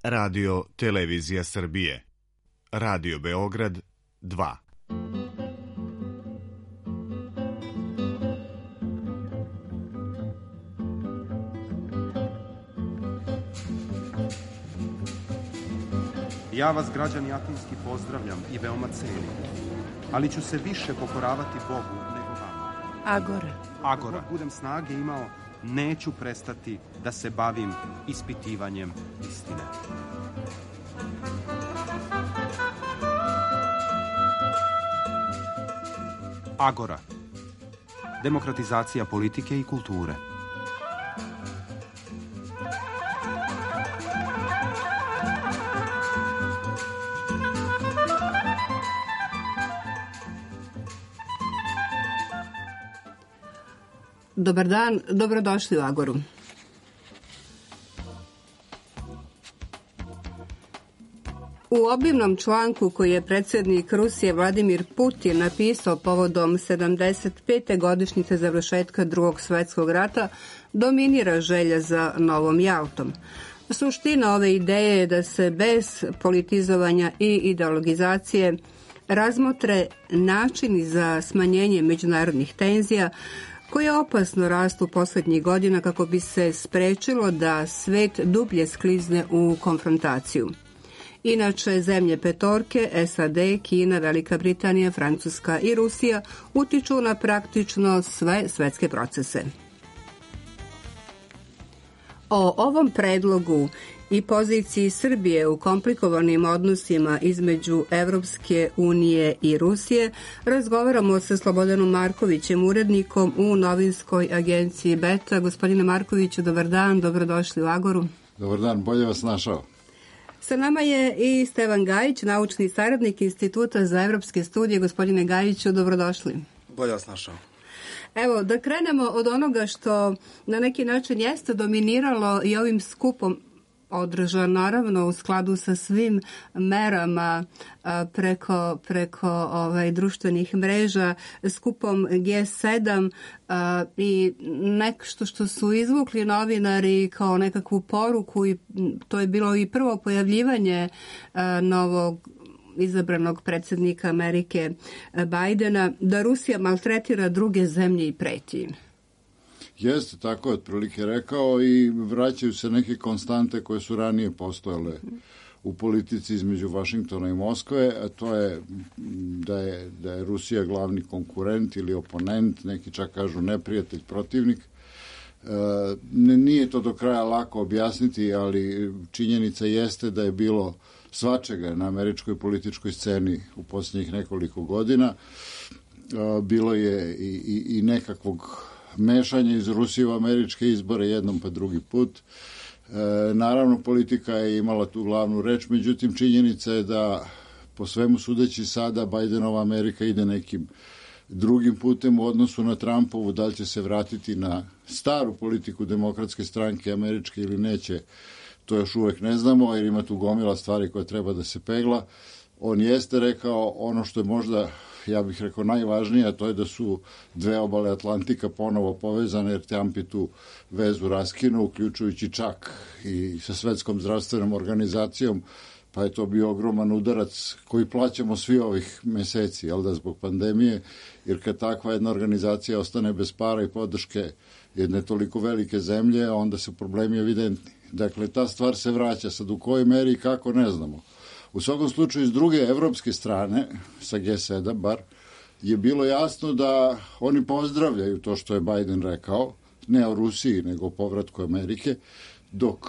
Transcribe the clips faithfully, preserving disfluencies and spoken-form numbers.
Radio Televizija Srbije. Radio Beograd dva. Ja vas, građani Atinski, pozdravljam i veoma cenim, ali ću se više pokoravati Bogu nego vama. Agora. Agora. Ako budem snage imao, neću prestati da se bavim ispitivanjem istine. Agora. Demokratizacija politike i kulture. Dobar dan, dobrodošli u Agoru. U obimnom članku koji je predsjednik Rusije Vladimir Putin napisao povodom sedamdeset pete godišnjice završetka Drugog svjetskog rata dominira želja za novom Jaltom. Suština ove ideje je da se bez politizovanja i ideologizacije razmotre načini za smanjenje međunarodnih tenzija koje opasno rastu posljednjih godina kako bi se sprečilo da svet dublje sklizne u konfrontaciju. Inače, zemlje petorke, S A D, Kina, Velika Britanija, Francuska i Rusija utiču na praktično sve svetske procese. O ovom predlogu i poziciji Srbije u komplikovanim odnosima između Evropske unije i Rusije razgovaramo sa Slobodanom Markovićem, urednikom u novinskoj agenciji Beta. Gospodine Markoviću, dobar dan, dobrodošli u Agoru. Dobar dan, bolje vas našao. Sa nama je i Stevan Gajić, naučni saradnik Instituta za evropske studije. Gospodine Gajiću, dobrodošli. Bolje vas našao. Evo, da krenemo od onoga što na neki način jeste dominiralo i ovim skupom održan naravno u skladu sa svim merama a, preko, preko ovaj, društvenih mreža, skupom G sedam a, i nešto što su izvukli novinari kao nekakvu poruku, i to je bilo i prvo pojavljivanje a, novog izabranog predsjednika Amerike Bajdena, da Rusija maltretira druge zemlje i preti im. Jeste, tako je otprilike rekao, i vraćaju se neke konstante koje su ranije postojale u politici između Vašingtona i Moskve, a to je da je, da je Rusija glavni konkurent ili oponent, neki čak kažu neprijatelj, protivnik. E, nije to do kraja lako objasniti, ali činjenica jeste da je bilo svačega na američkoj političkoj sceni u posljednjih nekoliko godina. E, bilo je i, i, i nekakvog mešanje iz Rusije u američke izbore jednom pa drugi put. E, naravno, politika je imala tu glavnu reč, međutim, činjenica je da po svemu sudeći sada Bajdenova Amerika ide nekim drugim putem u odnosu na Trumpovu. Da li će se vratiti na staru politiku demokratske stranke američke ili neće, to još uvek ne znamo, jer ima tu gomila stvari koje treba da se pegla. On jeste rekao ono što je možda, ja bih rekao, najvažnije, a to je da su dve obale Atlantika ponovo povezane, jer Trump je tu vezu raskinuo, uključujući čak i sa Svetskom zdravstvenom organizacijom, pa je to bio ogroman udarac koji plaćamo svi ovih meseci, jel da, zbog pandemije, jer kad takva jedna organizacija ostane bez para i podrške jedne toliko velike zemlje, onda su problemi evidentni. Dakle, ta stvar se vraća, sad u kojoj meri i kako ne znamo. U svakom slučaju, s druge evropske strane, sa G sedam bar, je bilo jasno da oni pozdravljaju to što je Biden rekao, ne o Rusiji, nego o povratku Amerike, dok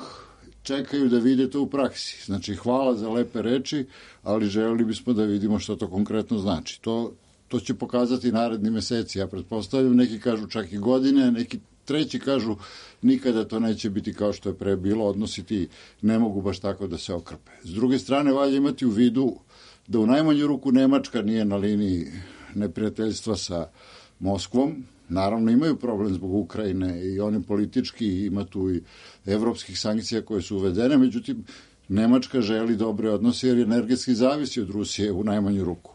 čekaju da vide to u praksi. Znači, hvala za lepe reči, ali želeli bismo da vidimo što to konkretno znači. To, to će pokazati naredni meseci, ja pretpostavljam. Neki kažu čak i godine, neki treći kažu nikada to neće biti kao što je pre bilo, odnosi ti ne mogu baš tako da se okrpe. S druge strane, valja imati u vidu da u najmanju ruku Nemačka nije na liniji neprijateljstva sa Moskvom. Naravno, imaju problem zbog Ukrajine i oni politički, ima tu i evropskih sankcija koje su uvedene, međutim, Nemačka želi dobre odnose jer energetski zavisi od Rusije u najmanju ruku.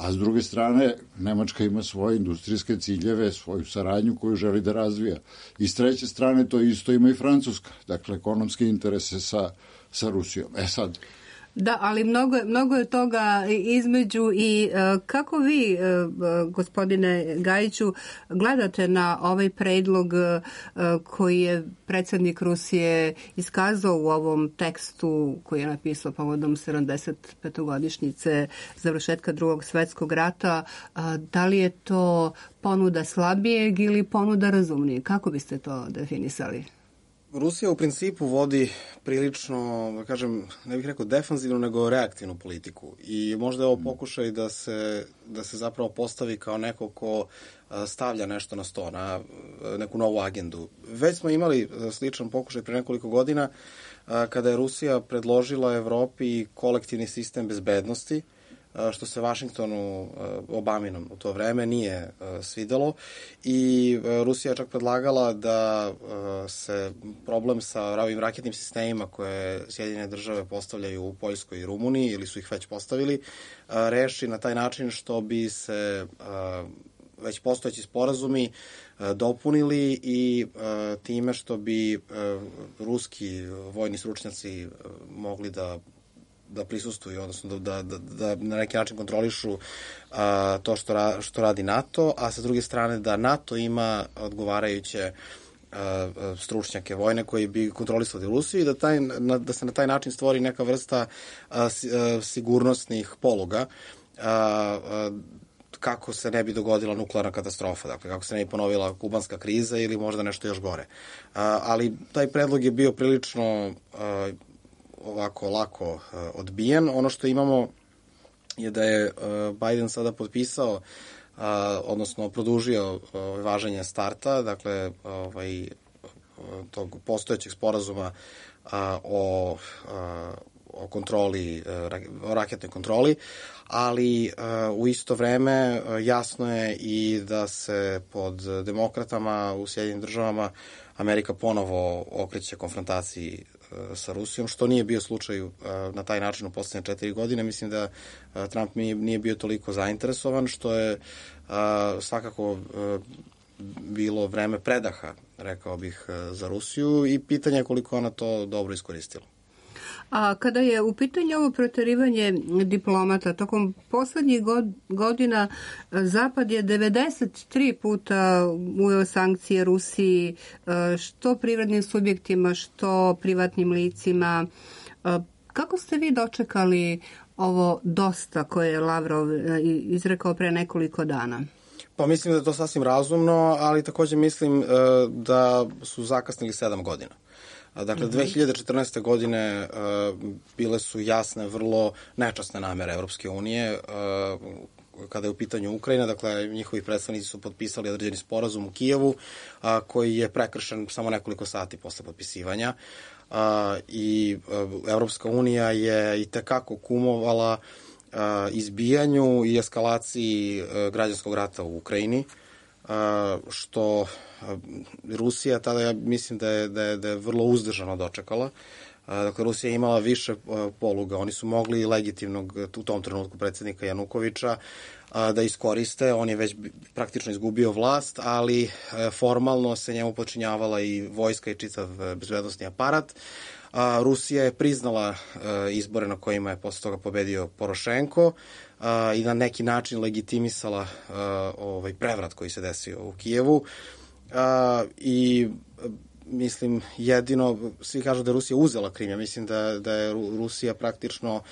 a s druge strane Nemačka ima svoje industrijske ciljeve, svoju saradnju koju želi da razvija. I s treće strane to isto ima i Francuska, dakle ekonomske interese sa, sa Rusijom. E sad... Da, ali mnogo, mnogo je toga između i uh, kako vi, uh, gospodine Gajiću, gledate na ovaj predlog uh, koji je predsjednik Rusije iskazao u ovom tekstu koji je napisao povodom sedamdeset petogodišnjice završetka drugog svjetskog rata, uh, da li je to ponuda slabijeg ili ponuda razumnijeg? Kako biste to definisali? Rusija u principu vodi prilično, da kažem, ne bih rekao defanzivnu, nego reaktivnu politiku. I možda je ovo pokušaj da se, da se zapravo postavi kao neko ko stavlja nešto na sto, na neku novu agendu. Već smo imali sličan pokušaj pre nekoliko godina kada je Rusija predložila Evropi kolektivni sistem bezbednosti, što se Vašingtonu, Obaminom u to vreme, nije svidelo i Rusija je čak predlagala da se problem sa ovim raketnim sistemima koje Sjedinjene države postavljaju u Poljskoj i Rumuniji, ili su ih već postavili, reši na taj način što bi se već postojeći sporazumi dopunili i time što bi ruski vojni stručnjaci mogli da da prisustuju, odnosno da, da, da na neki način kontrolišu a, to što, ra, što radi NATO, a sa druge strane da NATO ima odgovarajuće a, stručnjake vojne koji bi kontrolisali Rusiju i da, taj, na, da se na taj način stvori neka vrsta a, si, a, sigurnosnih poluga a, a, kako se ne bi dogodila nuklearna katastrofa, dakle kako se ne bi ponovila kubanska kriza ili možda nešto još gore. A, ali taj predlog je bio prilično a, ovako lako uh, odbijen. Ono što imamo je da je uh, Biden sada potpisao, uh, odnosno produžio uh, važenje starta, dakle ovaj, tog postojećeg sporazuma uh, o, uh, o kontroli, uh, o raketnoj kontroli, ali uh, u isto vreme uh, jasno je i da se pod demokratama u Sjedinjenim državama Amerika ponovo okreće konfrontaciji sa Rusijom, što nije bio slučaj na taj način u poslednje četiri godine. Mislim da Trump nije bio toliko zainteresovan, što je svakako bilo vreme predaha, rekao bih, za Rusiju i pitanje je koliko ona to dobro iskoristila. A kada je u pitanju ovo proterivanje diplomata, tokom poslednjih godina Zapad je devedeset tri puta uveo sankcije Rusiji, što privrednim subjektima, što privatnim licima. Kako ste vi dočekali ovo dosta koje je Lavrov izrekao pre nekoliko dana? Pa mislim da je to sasvim razumno, ali takođe mislim da su zakasnili sedam godina. Dakle, dve hiljade četrnaeste. godine uh, bile su jasne, vrlo nečasne namere Evropske unije uh, kada je u pitanju Ukrajina. Dakle, njihovi predstavnici su potpisali određeni sporazum u Kijevu uh, koji je prekršen samo nekoliko sati posle potpisivanja. Uh, I uh, Evropska unija je i tekako kumovala uh, izbijanju i eskalaciji uh, građanskog rata u Ukrajini, uh, što Rusija tada, ja mislim da je, da je, da je vrlo uzdržano dočekala. Dakle, Rusija je imala više poluga. Oni su mogli legitimnog, u tom trenutku, predsjednika Janukovića da iskoriste. On je već praktično izgubio vlast, ali formalno se njemu počinjavala i vojska i čitav bezbednosni aparat. Rusija je priznala izbore na kojima je posle toga pobedio Porošenko i na neki način legitimisala ovaj prevrat koji se desio u Kijevu. Uh, i mislim jedino, svi kažu da je Rusija uzela Krim, ja mislim da, da je Rusija praktično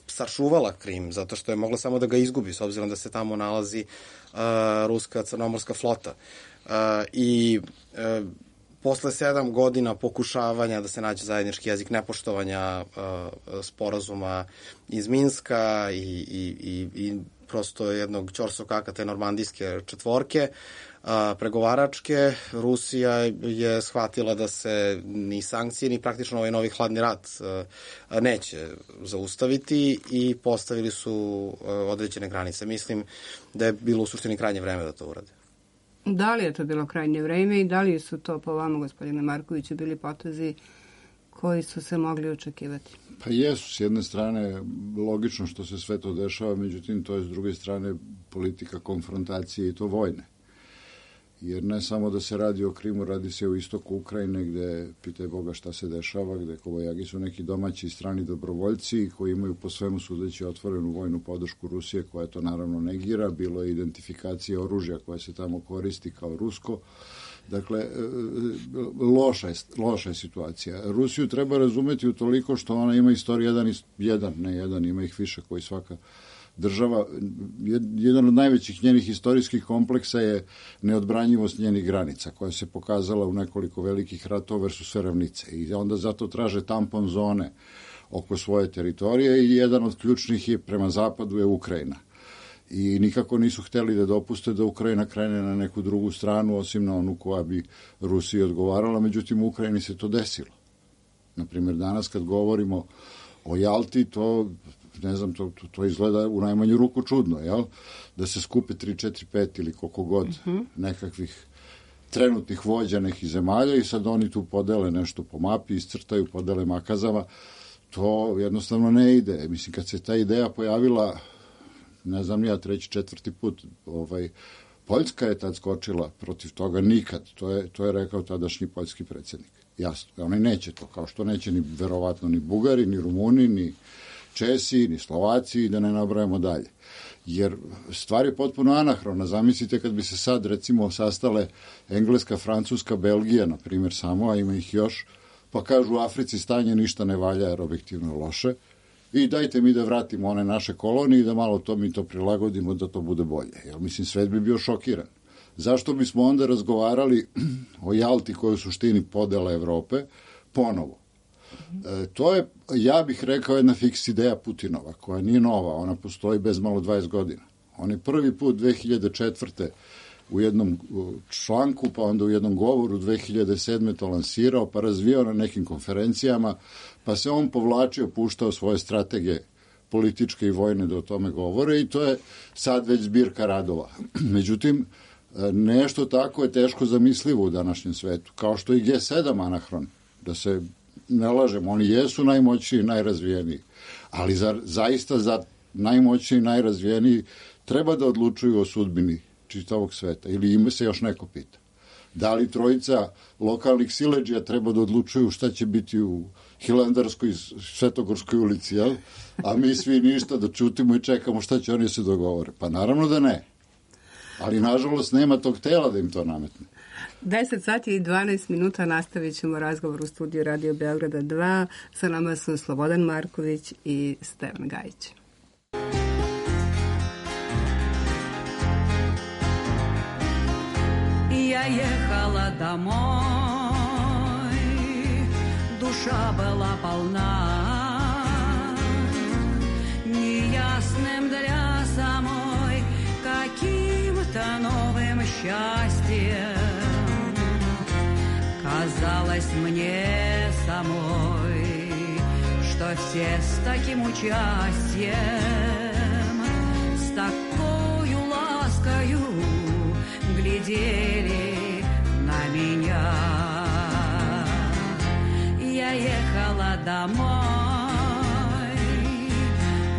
sačuvala Krim, zato što je mogla samo da ga izgubi, s obzirom da se tamo nalazi uh, ruska crnomorska flota. Uh, I uh, posle sedam godina pokušavanja da se nađe zajednički jezik, nepoštovanja uh, sporazuma iz Minska i, i, i, i prosto jednog ćorsokaka te normandijske četvorke, a, pregovaračke, Rusija je shvatila da se ni sankcije, ni praktično ovaj novi hladni rat a, neće zaustaviti i postavili su a, određene granice. Mislim da je bilo u suštini krajnje vreme da to urade. Da li je to bilo krajnje vreme i da li su to po vama, gospodine Markoviću, bili potezi koji su se mogli očekivati? Pa jesu, s jedne strane logično što se sve to dešava, međutim to je s druge strane politika konfrontacije i to vojne. Jer ne samo da se radi o Krimu, radi se o istoku Ukrajine gde, pitaj Boga šta se dešava, gde Kobajagi su neki domaći i strani dobrovoljci koji imaju po svemu sudeći otvorenu vojnu podršku Rusije, koja to naravno negira, bilo je identifikacija oružja koja se tamo koristi kao rusko. Dakle, loša je, loša je situacija. Rusiju treba razumeti utoliko što ona ima istoriju jedan, jedan, ne jedan, ima ih više koji svaka država. Jedan od najvećih njenih istorijskih kompleksa je neodbranjivost njenih granica, koja se pokazala u nekoliko velikih ratova, jer su sve ravnice. I onda zato traže tampon zone oko svoje teritorije i jedan od ključnih je prema zapadu je Ukrajina. I nikako nisu hteli da dopuste da Ukrajina krene na neku drugu stranu, osim na onu koja bi Rusiji odgovarala, međutim u Ukrajini se to desilo. Naprimjer, danas kad govorimo o Jalti, to, ne znam, to, to, to izgleda u najmanju ruku čudno, jel? Da se skupe tri, četiri, pet ili koliko god mm-hmm. nekakvih trenutnih vođa nekih zemalja i sad oni tu podele nešto po mapi, iscrtaju, podele makazama. To jednostavno ne ide. Mislim, kad se ta ideja pojavila, ne znam ja, treći, četvrti put, ovaj, Poljska je tad skočila protiv toga nikad. To je, to je rekao tadašnji poljski predsjednik. Jasno, oni neće to, kao što neće ni verovatno ni Bugari, ni Rumuni, ni Česi, ni Slovaci, da ne nabrajamo dalje. Jer stvar je potpuno anahrona. Zamislite kad bi se sad, recimo, sastale Engleska, Francuska, Belgija, na primjer, samo, a ima ih još, pa kažu u Africi stanje ništa ne valja, jer objektivno je loše, i dajte mi da vratimo one naše kolonije i da malo to mi to prilagodimo da to bude bolje. Jer, mislim, svet bi bio šokiran. Zašto bismo onda razgovarali o Jalti koja je u suštini podela Evrope ponovo? E, to je, ja bih rekao, jedna fiks ideja Putinova, koja nije nova, ona postoji bez malo dvadeset godina. On je prvi put dve hiljade četvrte u jednom članku, pa onda u jednom govoru dve hiljade sedme to lansirao, pa razvijao na nekim konferencijama, pa se on povlačio, puštao svoje strategije političke i vojne da o tome govore i to je sad već zbirka radova. Međutim, nešto tako je teško zamislivo u današnjem svetu, kao što i G sedam anahron, da se ne lažemo, oni jesu najmoćniji i najrazvijeniji, ali za, zaista za najmoćniji i najrazvijeniji treba da odlučuju o sudbini čitavog sveta, ili ima se još neko pita. Da li trojica lokalnih siledžija treba da odlučuju šta će biti u Hilandarskoj Svetogorskoj ulici, jel? A mi svi ništa da čutimo i čekamo šta će oni se dogovore. Pa naravno da ne. Ali nažalost nema tog tela da im to nametne. deset sati i dvanaest minuta nastavit ćemo razgovor u studiju Radio Beograda dva. Sa nama su Slobodan Marković i Stevan Gajić. Я ехала домой, душа была полна неясным для самой каким-то новым счастьем. Казалось мне самой, что все с таким участием, с такою ласкою глядели на меня. Я ехала домой,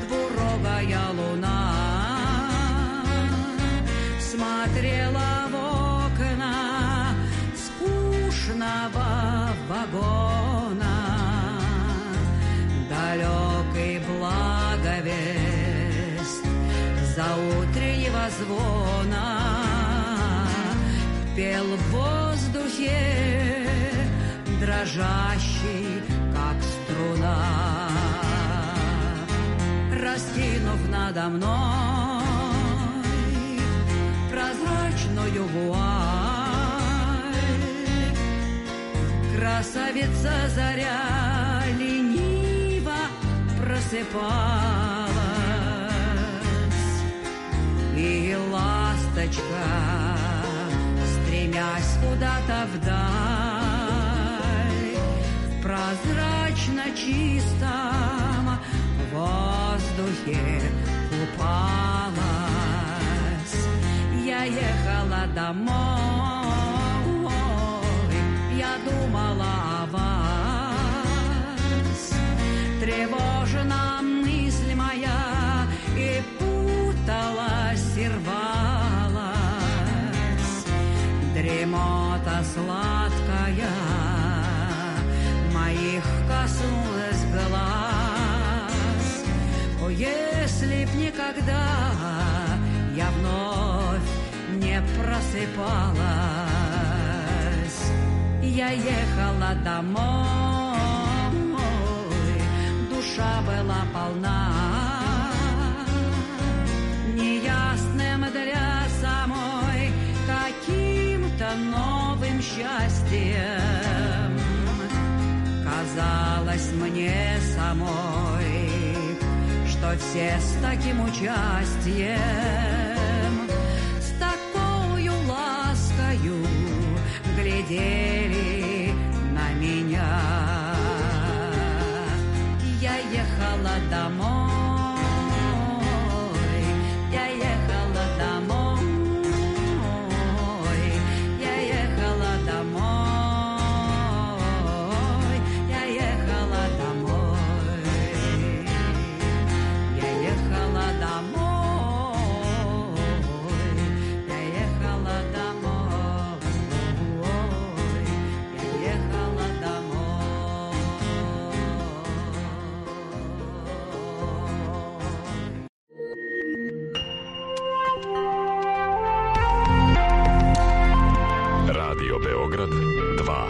двурогая луна смотрела в окна скучного вагона. Далекий благовест заутреннего звона пел в воздухе, дрожащий, как струна. Раскинув надо мной прозрачную вуаль, красавица заря лениво просыпалась, и ласточка, стремясь куда-то вдаль, в прозрачно чистом воздухе купалась. Я ехала домой, я думала о вас, тревожна мысль моя, и путалась и рвалась дремота сладкая, моих коснулась глаз. О, если б никогда я вновь не просыпалась, я ехала домой, душа была полна неясным для самой каким-то новым счастьем. Казалось мне самой, что все с таким участием, с такою ласкою глядели на меня. Я ехала домой, я ехала домой, я ехала домой, я ехала домой, я ехала домой, я ехала домой, я ехала домой. Radio Beograd dva.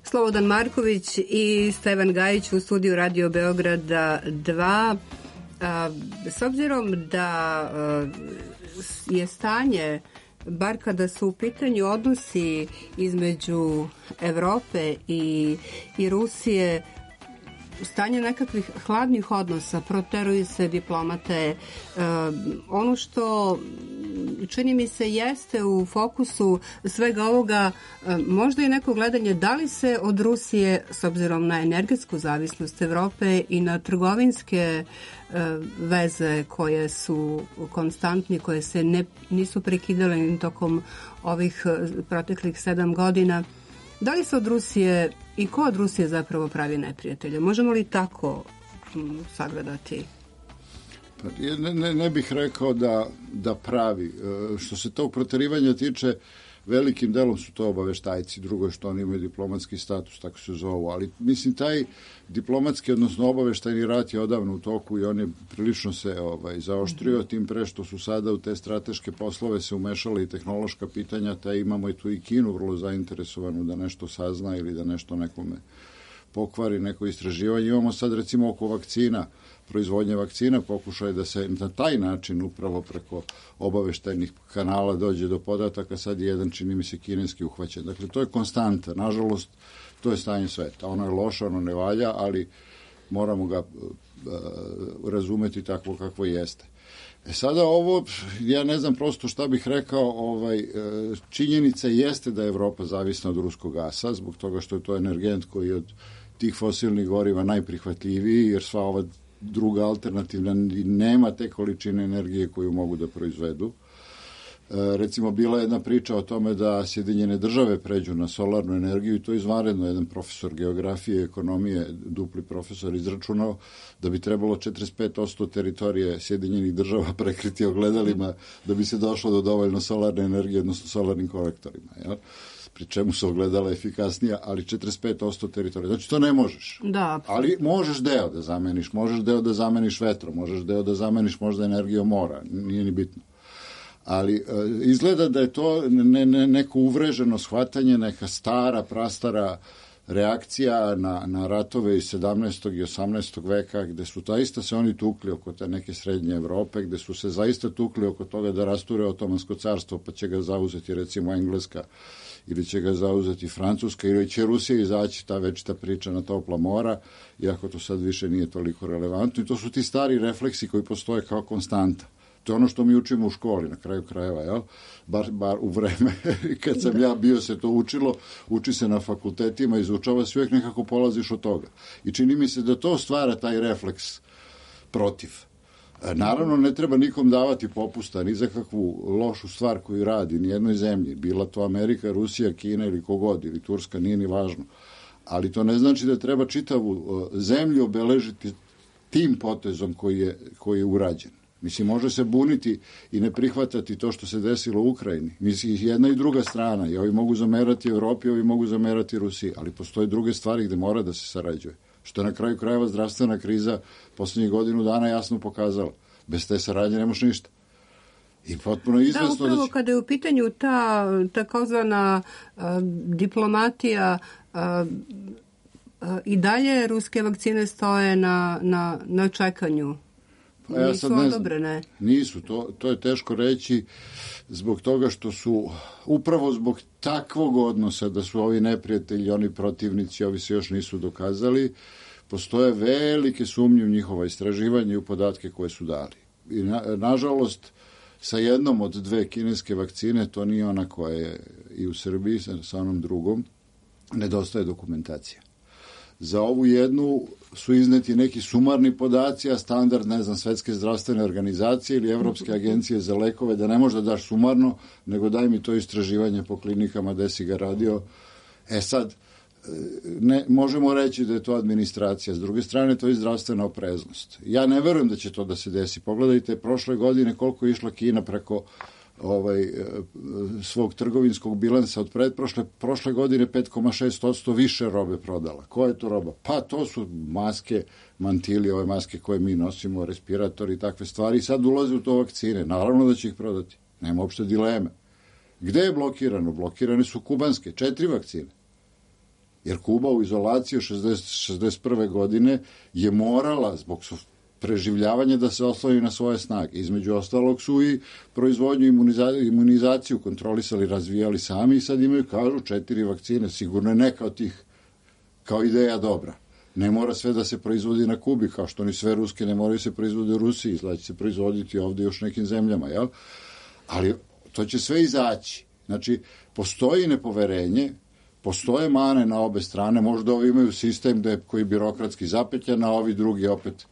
Slobodan Marković i Stevan Gajić u studiju Radio Beograda dva. A, s obzirom da a, je stanje, bar kada su u pitanju odnosi između Evrope i, i Rusije, stanje nekakvih hladnih odnosa, proteruju se diplomate. Uh, ono što čini mi se jeste u fokusu svega ovoga, uh, možda i neko gledanje da li se od Rusije, s obzirom na energetsku zavisnost Evrope i na trgovinske uh, veze koje su konstantni, koje se ne, nisu prekidale ni tokom ovih uh, proteklih sedam godina, da li se od Rusije i ko od Rusije zapravo pravi neprijatelje? Možemo li tako m, sagledati? Pa, ne, ne, ne bih rekao da, da pravi. Što se tog proterivanja tiče, velikim delom su to obaveštajci, drugo je što oni imaju diplomatski status, tako se zovu, ali mislim taj diplomatski, odnosno obaveštajni rat je odavno u toku i on je prilično se ovaj, zaoštrio, tim pre što su sada u te strateške poslove se umešale i tehnološka pitanja, te imamo i tu i Kinu vrlo zainteresovanu da nešto sazna ili da nešto nekome pokvari, neko istraživanje. Imamo sad recimo oko vakcina, proizvodnje vakcina, pokušaj da se na taj način upravo preko obaveštajnih kanala dođe do podataka, sad je jedan, čini mi se, kineski uhvaćen. Dakle, to je konstanta. Nažalost, to je stanje sveta. Ono je loše, ono ne valja, ali moramo ga uh, razumeti takvo kakvo jeste. E sada ovo, ja ne znam prosto šta bih rekao, ovaj, činjenica jeste da je Evropa zavisna od ruskog gasa, zbog toga što je to energent koji je od tih fosilnih goriva najprihvatljiviji, jer sva ova druga alternativna nema te količine energije koju mogu da proizvedu. E, recimo, bila je jedna priča o tome da Sjedinjene države pređu na solarnu energiju i to je izvanredno. Jedan profesor geografije i ekonomije, dupli profesor, izračunao da bi trebalo četrdeset pet posto teritorije Sjedinjenih država prekriti ogledalima da bi se došlo do dovoljno solarne energije, odnosno solarnim kolektorima. Jel? Pri čemu su ogledala efikasnija, ali četrdeset pet posto teritorija. Znači, to ne možeš. Da. Ali možeš deo da zameniš, možeš deo da zameniš vetrom, možeš deo da zameniš možda energijom mora, nije ni bitno. Ali izgleda da je to ne, ne, neko uvreženo shvatanje, neka stara, prastara reakcija na, na ratove iz sedamnaestog i osamnaestog veka, gde su zaista se oni tukli oko te neke srednje Evrope, gde su se zaista tukli oko toga da rasture Otomansko carstvo, pa će ga zauzeti recimo Engleska, ili će ga zauzeti Francuska, ili će Rusija izaći, ta večita priča na topla mora, iako to sad više nije toliko relevantno. I to su ti stari refleksi koji postoje kao konstanta. To je ono što mi učimo u školi, na kraju krajeva, jel? Bar, bar u vreme kad sam ja bio se to učilo, uči se na fakultetima, izučava se, uvijek nekako polaziš od toga. I čini mi se da to stvara taj refleks protiv. Naravno, ne treba nikom davati popusta, ni za kakvu lošu stvar koju radi, ni jednoj zemlji, bila to Amerika, Rusija, Kina ili kogod, ili Turska, nije ni važno. Ali to ne znači da treba čitavu zemlju obeležiti tim potezom koji je, koji je urađen. Mislim, može se buniti i ne prihvatati to što se desilo u Ukrajini. Mislim, jedna i druga strana. I ovi mogu zamerati Evropi, ovi mogu zamerati Rusiji. Ali postoje druge stvari gde mora da se sarađuje. Što je na kraju krajeva zdravstvena kriza poslednjih godinu dana jasno pokazala. Bez te saradnje nemaš ništa. I potpuno izvesno da, upravo da će... kada je u pitanju ta takozvana uh, diplomatija, uh, uh, i dalje ruske vakcine stoje na, na, na čekanju. Pa ja nisu odobrene. Nisu, to, to je teško reći zbog toga što su, upravo zbog takvog odnosa da su ovi neprijatelji, oni protivnici, ovi se još nisu dokazali, postoje velike sumnje u njihova istraživanja i u podatke koje su dali. I na, nažalost, sa jednom od dve kineske vakcine, to nije ona koja je i u Srbiji, sa, sa onom drugom, nedostaje dokumentacija. Za ovu jednu su izneti neki sumarni podaci, a standard, ne znam, Svetske zdravstvene organizacije ili Evropske agencije za lekove, da ne možda daš sumarno, nego daj mi to istraživanje po klinikama gde si ga radio. E sad, ne, možemo reći da je to administracija, s druge strane to je zdravstvena opreznost. Ja ne verujem da će to da se desi. Pogledajte prošle godine koliko je išla Kina preko ovaj, svog trgovinskog bilansa od pretprošle prošle godine pet zarez šest posto više robe prodala. Koja je to roba? Pa to su maske, mantili, ove maske koje mi nosimo, respiratori i takve stvari. I sad ulaze u to vakcine. Naravno da će ih prodati. Nema uopšte dileme. Gde je blokirano? Blokirane su kubanske, četiri vakcine. Jer Kuba u izolaciji od šezdeset prve godine je morala zbog preživljavanja da se osloni na svoje snage. Između ostalog su i proizvodnju imuniza, imunizaciju kontrolisali, razvijali sami i sad imaju, kažu, četiri vakcine. Sigurno je neka od tih kao ideja dobra. Ne mora sve da se proizvodi na Kubi, kao što ni sve ruske ne moraju se proizvodi u Rusiji, znači se proizvoditi ovde još nekim zemljama, jel? Ali to će sve izaći. Znači, postoji nepoverenje, postoje mane na obe strane, možda ovi imaju sistem da je, koji je birokratski zapetljan, a ovi drugi opet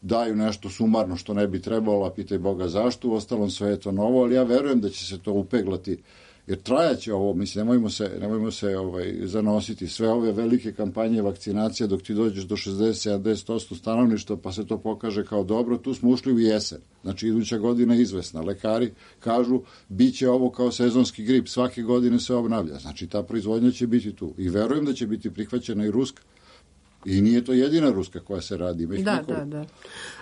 daju nešto sumarno što ne bi trebalo, a pitaj Boga zašto, u ostalom sve je to novo, ali ja verujem da će se to upeglati, jer trajaće ovo, mislim, nemojmo se, nemojmo se ovaj, zanositi sve ove velike kampanje vakcinacije dok ti dođeš do šezdeset do sedamdeset posto stanovništva, pa se to pokaže kao dobro, tu smo ušli u jesen, znači iduća godina je izvesna, lekari kažu, bit će ovo kao sezonski grip, svake godine se obnavlja, znači ta proizvodnja će biti tu i verujem da će biti prihvaćena i ruska. I nije to jedina ruska koja se radi. Već da, nekoliko. da, da.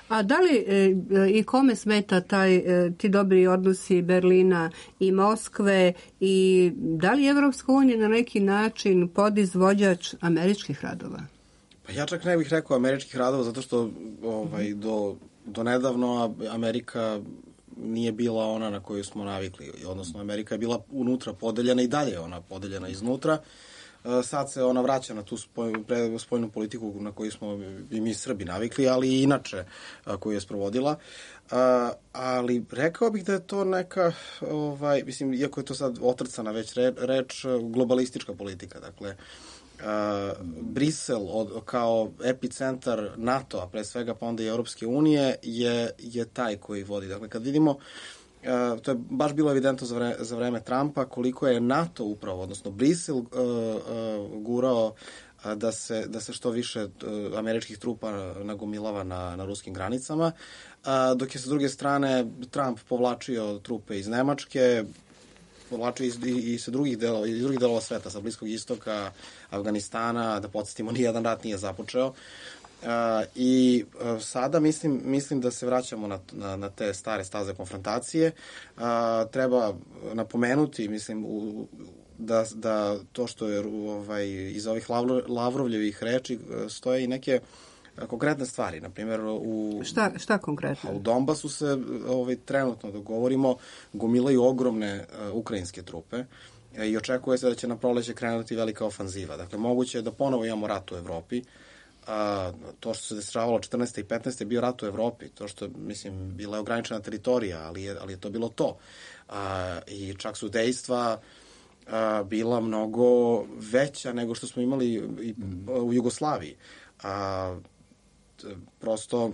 A da li e, i kome smeta taj, e, ti dobri odnosi Berlina i Moskve i da li Evropska unija na neki način podizvođač američkih radova? Pa ja čak ne bih rekao američkih radova zato što ovaj, do, do nedavno Amerika nije bila ona na koju smo navikli. Odnosno Amerika je bila unutra podeljena i dalje je ona podeljena iznutra. Sad se ona vraća na tu spoljnu politiku na koju smo i mi Srbi navikli, ali i inače koju je sprovodila. Ali rekao bih da je to neka, ovaj, mislim, iako je to sad otrcana već reč, globalistička politika. Dakle, Brisel od, kao epicentar NATO-a, pre svega pa onda i Europske unije, je, je taj koji vodi. Dakle, kad vidimo Uh, to je baš bilo evidentno za vreme, za vreme Trumpa koliko je NATO upravo, odnosno Brisel uh, uh, gurao uh, da, se, da se što više uh, američkih trupa nagomilava na, na ruskim granicama, uh, dok je sa druge strane Trump povlačio trupe iz Nemačke, povlačio iz, i, i sa drugih delova, iz drugih delova sveta, sa Bliskog istoka, Afganistana, da podsjetimo, nijedan rat nije započeo. Uh, I uh, sada mislim, mislim da se vraćamo na, na, na te stare staze konfrontacije. Uh, treba napomenuti, mislim, u, da, da to što je ovaj, iz ovih Lavro, Lavrovljevih reči stoje i neke konkretne stvari. Naprimjer, u, šta, šta konkretno? U Donbasu se ovaj, trenutno dogovorimo, gomilaju ogromne uh, ukrajinske trupe i očekuje se da će na proleće krenuti velika ofanziva. Dakle, moguće je da ponovo imamo rat u Evropi. A, to što se dešavalo četrnaeste i petnaeste je bio rat u Evropi, to što, mislim, bila je ograničena teritorija, ali je, ali je to bilo to. A, I čak su dejstva a, bila mnogo veća nego što smo imali i, u Jugoslaviji. A, t, prosto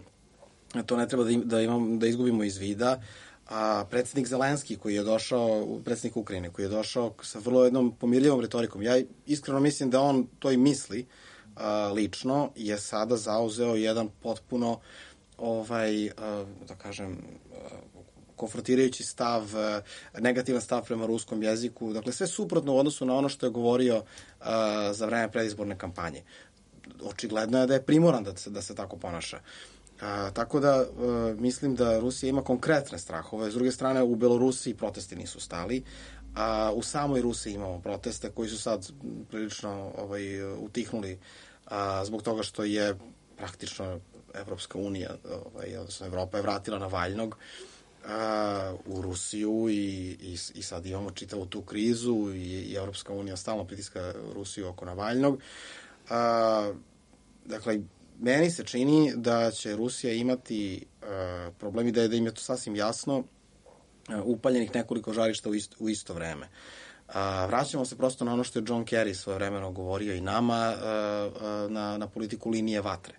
to ne treba da, im, da, imam, da izgubimo iz vida. A predsjednik Zelenski koji je došao, predsjednik Ukrajine, koji je došao sa vrlo jednom pomirljivom retorikom, ja iskreno mislim da on to i misli, a, lično, je sada zauzeo jedan potpuno, ovaj, a, da kažem, a, konfrontirajući stav, a, negativan stav prema ruskom jeziku, dakle sve suprotno u odnosu na ono što je govorio a, za vreme predizborne kampanje. Očigledno je da je primoran da se, da se tako ponaša. A, tako da a, mislim da Rusija ima konkretne strahove. S druge strane, u Belorusiji protesti nisu stali, a u samoj Rusiji imamo proteste koji su sad prilično ovaj, utihnuli a, zbog toga što je praktično Evropska unija, ovaj, odnosno Evropa je vratila Navalnog a, u Rusiju i, i, i sad imamo čitavu tu krizu i, i Evropska unija stalno pritiska Rusiju oko Navalnog. A, dakle, meni se čini da će Rusija imati uh, problemi, da je, da im je to sasvim jasno, uh, upaljenih nekoliko žarišta u isto, u isto vreme. Uh, vraćamo se prosto na ono što je John Kerry svojevremeno govorio i nama, uh, uh, na, na politiku linije vatre.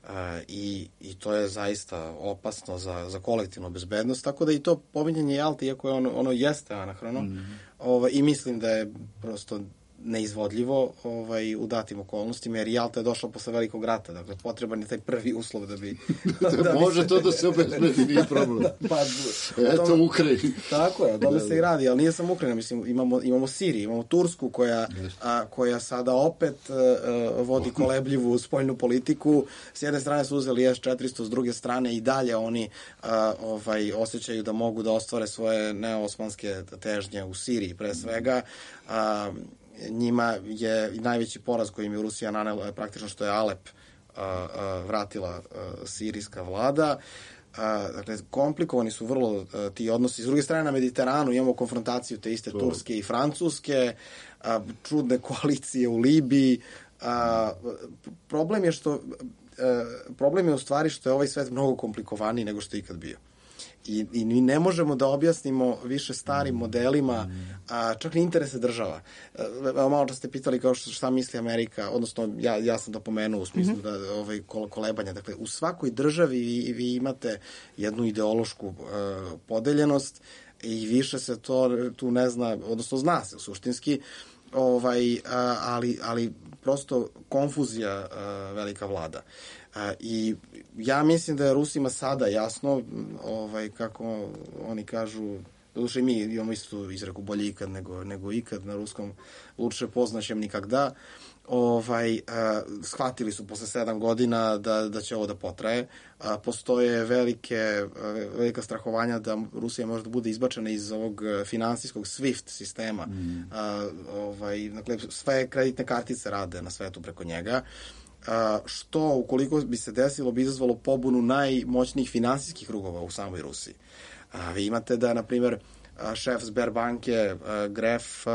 Uh, i, I to je zaista opasno za, za kolektivnu bezbednost, tako da i to pominjanje Jalte, iako je ono, ono jeste anahrono, mm. ovaj, i mislim da je prosto neizvodljivo ovaj, u datim okolnostima, jer Jalta je došla posle velikog rata, dakle potreban je taj prvi uslov da bi... da, da može bi se... to da se obezbedi, nije problem. Da, pa, eto tome, Ukrajini. Tako je, o tome se i radi, ali nije samo Ukrajina, mislim, imamo, imamo Siriju, imamo Tursku koja, a, koja sada opet a, vodi kolebljivu spoljnu politiku. S jedne strane su uzeli es četiristo, s druge strane i dalje oni a, ovaj, osjećaju da mogu da ostvare svoje neosmanske težnje u Siriji, pre svega. A, njima je najveći poraz koji im je Rusija nanela praktično što je Alep a, a, vratila a, sirijska vlada. A, dakle, komplikovani su vrlo a, ti odnosi. S druge strane, na Mediteranu imamo konfrontaciju te iste to. Turske i Francuske, a, čudne koalicije u Libiji. A, problem je što a, problem je u stvari što je ovaj svet mnogo komplikovaniji nego što je ikad bio. I, i mi ne možemo da objasnimo više starim modelima, a, čak ni interese država. A, malo što ste pitali kao što, šta misli Amerika, odnosno ja, ja sam to pomenuo u smislu mm-hmm. da ovaj, kolebanja. Dakle, u svakoj državi vi, vi imate jednu ideološku uh, podeljenost i više se to tu ne zna, odnosno zna se suštinski, ovaj, uh, ali, ali prosto konfuzija uh, velika vlada. Uh, I ja mislim da je Rusima sada jasno, ovaj, kako oni kažu, doduše mi imamo istu izreku bolje ikad nego, nego ikad na ruskom, luče poznaćem nikagda, ovaj, uh, shvatili su posle sedam godina da, da će ovo da potraje. Uh, postoje velike, uh, velika strahovanja da Rusija može da bude izbačena iz ovog finansijskog SWIFT sistema. Mm. Uh, ovaj, dakle, sve kreditne kartice rade na svetu preko njega. Uh, što, ukoliko bi se desilo, bi izazvalo pobunu najmoćnijih finansijskih krugova u samoj Rusiji. Uh, vi imate da, na primjer, uh, šef Sberbanke, uh, Gref, uh,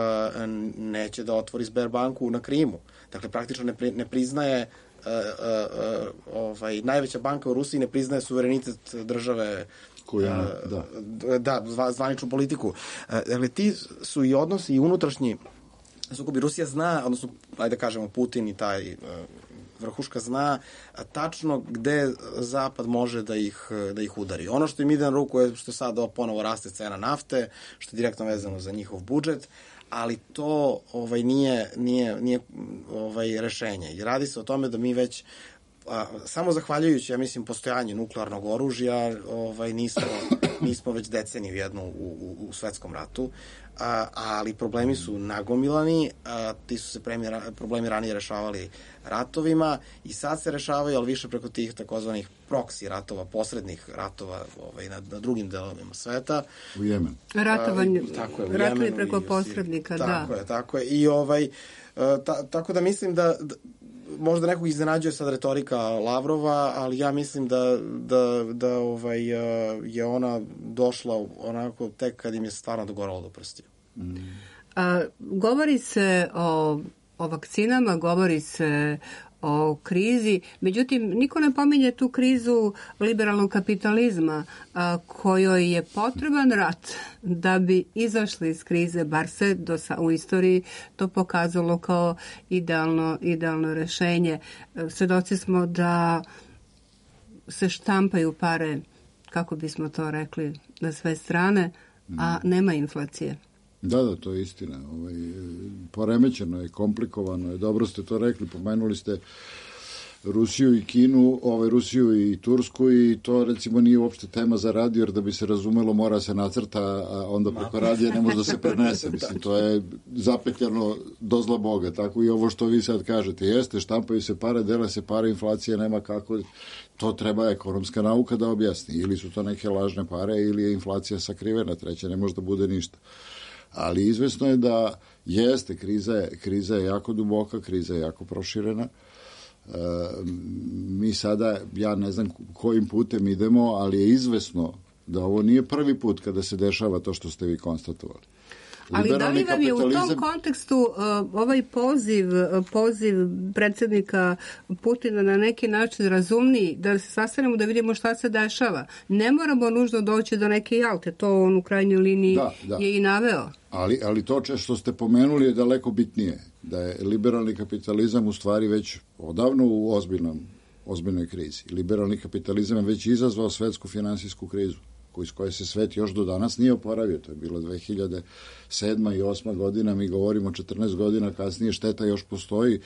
neće da otvori Sberbanku na Krimu. Dakle, praktično ne, pri, ne priznaje, uh, uh, uh, ovaj, najveća banka u Rusiji ne priznaje suverenitet države, koja, uh, da. Da, zva, zvaničnu politiku. Uh, dakle, ti su i odnosi i unutrašnji sukobi. Rusija zna, odnosno, ajde da kažemo, Putin i taj uh, vrhuška zna tačno gde Zapad može da ih, da ih udari. Ono što im ide na ruku je što sad ponovo raste cena nafte, što je direktno vezano za njihov budžet, ali to ovaj, nije, nije, nije ovaj, rešenje. I radi se o tome da mi već a, samo zahvaljujući, ja mislim, postojanju nuklearnog oružja, ovaj, nismo, nismo već deceniju jednu u, u, u svetskom ratu, a, ali problemi su nagomilani, a, ti su se premijer, problemi ranije rešavali ratovima i sad se rešavaju, ali više preko tih takozvanih proksi ratova, posrednih ratova ovaj, na, na drugim delovima sveta. U Jemenu. Ratovanje, ratovi preko posrednika, da. Tako je, tako je. I ovaj, ta, tako da mislim da, da možda nekog iznenađuje sad retorika Lavrova, ali ja mislim da, da, da ovaj, je ona došla onako tek kad im je stvarno dogoralo do prstiju. Mm. A, govori se o, o vakcinama, govori se o krizi. Međutim, niko ne pominje tu krizu liberalnog kapitalizma a, kojoj je potreban rat da bi izašli iz krize, bar se do, u istoriji to pokazalo kao idealno, idealno rešenje. Svedoci smo da se štampaju pare, kako bismo to rekli, na sve strane, a nema inflacije. Da, da, to je istina. Ovaj, poremećeno je, komplikovano je. Dobro ste to rekli, pomenuli ste Rusiju i Kinu, ovaj, Rusiju i Tursku i to recimo nije uopšte tema za radio, jer da bi se razumelo mora se nacrta, a onda preko radija ne može da se prenese. Mislim, to je zapetljano do zla Boga. Tako i ovo što vi sad kažete. Jeste, štampaju se pare, dele se pare, inflacija nema kako. To treba ekonomska nauka da objasni. Ili su to neke lažne pare, ili je inflacija sakrivena, treće ne može da bude ništa. Ali izvesno je da jeste, kriza je, kriza je jako duboka, kriza je jako proširena. E, mi sada, ja ne znam kojim putem idemo, ali je izvesno da ovo nije prvi put kada se dešava to što ste vi konstatovali. Ali da li vam je u tom kontekstu uh, ovaj poziv, uh, poziv predsjednika Putina na neki način razumniji, da se sastanemo da vidimo šta se dešava? Ne moramo nužno doći do neke Jalte, to on u krajnjoj liniji da, da. je i naveo. Ali, ali to što ste pomenuli je daleko bitnije, da je liberalni kapitalizam u stvari već odavno u ozbiljnom, ozbiljnoj krizi. Liberalni kapitalizam je već izazvao svetsku finansijsku krizu, iz koje se svet još do danas nije oporavio. To je bilo dve hiljade sedma i osma godina, mi govorimo četrnaest godina kasnije, šteta još postoji,